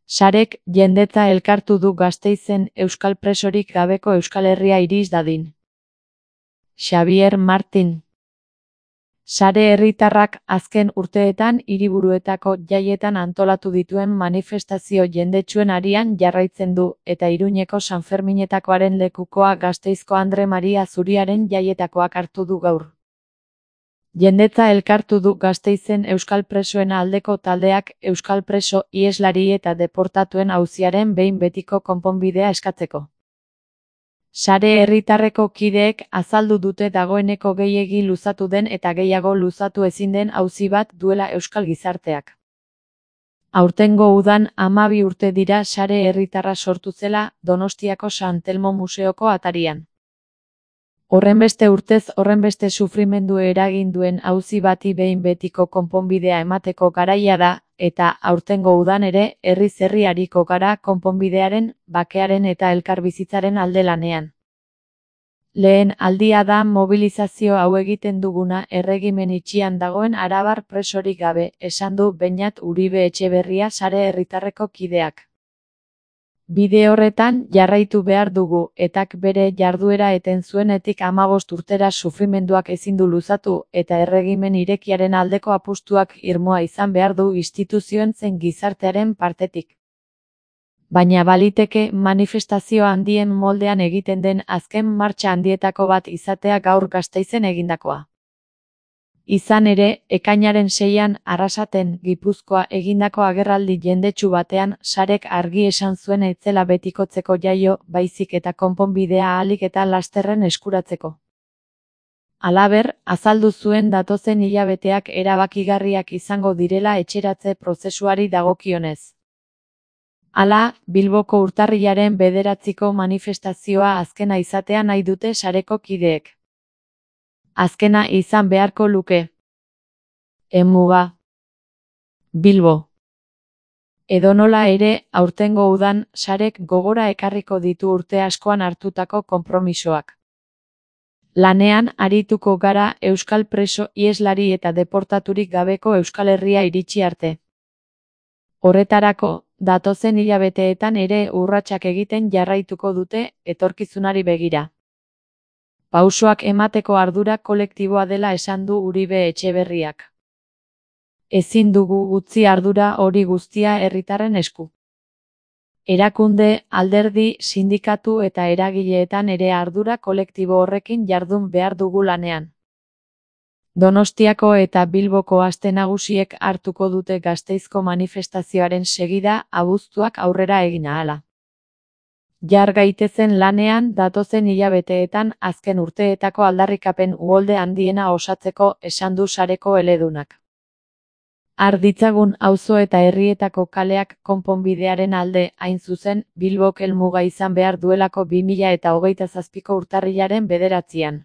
Sarek jendetza elkartu du Gasteizen euskal presorik gabeko Euskal Herria iris dadin. Xabier Martin. Sare herritarrak azken urteetan hiriburuetako jaietan antolatu dituen manifestazio jendetsuen arian jarraitzen du, eta Iruñeko Sanferminetakoaren lekukoa Gasteizko Andre Maria Zuriaren jaietakoak hartu du gaur. Jendetza elkartu du Gasteizen euskal presoen aldeko taldeak euskal preso, iheslari eta deportatuen auziaren behin betiko konponbidea eskatzeko. Sare herritarreko kideek azaldu dute dagoeneko gehiegi luzatu den eta gehiago luzatu ezin den auzi bat duela euskal gizarteak. Aurtengo udan 12 urte dira sare herritarra sortu zela Donostiako San Telmo Museoko atarian. Horrenbeste urtez horrenbeste sufrimendu eragin duen auzi bati behin betiko konponbidea emateko garaia da, eta aurtengo udan ere herriz herri ariko gara konponbidearen, bakearen eta elkarbizitzaren alde lanean. Lehen aldia da mobilizazio hau egiten duguna erregimen itxian dagoen arabar presorik gabe, esan du Beñat Uribe Etxeberria sare herritarreko kideak. Bide horretan jarraitu behar dugu, etak bere jarduera eten zuenetik 15 urtera sufrimenduak ezin du luzatu, eta erregimen irekiaren aldeko apustuak irmoa izan behar du instituzioen zein gizartearen partetik. Baina baliteke manifestazio handien moldean egiten den azken martxa handietako bat izatea gaur Gasteizen egindakoa. Izan ere, ekainaren 6an Arrasaten, Gipuzkoa egindako agerraldi jendetsu batean Sarek argi esan zuen ez zela betikotzeko jaio, baizik eta konponbidea ahalik eta lasterren eskuratzeko. Halaber, azaldu zuen datozen hilabeteak erabakigarriak izango direla etxeratze prozesuari dagokionez. Hala, Bilboko urtarrilaren 9ko manifestazioa azkena izatea nahi dute sareko kideek. Azkena izan beharko luke. Emuga. Bilbo. Edonola ere, aurtengo udan, Sarek gogora ekarriko ditu urte askoan hartutako konpromisoak. Lanean arituko gara euskal preso, iheslari eta deportaturik gabeko Euskal Herria iritsi arte. Horretarako, datozen hilabeteetan ere urratsak egiten jarraituko dute, etorkizunari begira. Pausoak emateko ardura kolektiboa dela esan du Uribe Etxeberriak. Ezin dugu utzi ardura hori guztia herritarren esku. Erakunde, alderdi, sindikatu eta eragileetan ere ardura kolektibo horrekin jardun behar dugu lanean. Donostiako eta Bilboko aste nagusiek hartuko dute Gasteizko manifestazioaren segida abuztuak aurrera egin ahala. Jar gaitezen lanean datozen hilabeteetan azken urteetako aldarrikapen uholde handiena osatzeko, esan du sareko eledunak. Har ditzagun auzo eta herrietako kaleak konponbidearen alde, hain zuzen, Bilbok helmuga izan behar duelako 2027ko urtarrilaren 9an.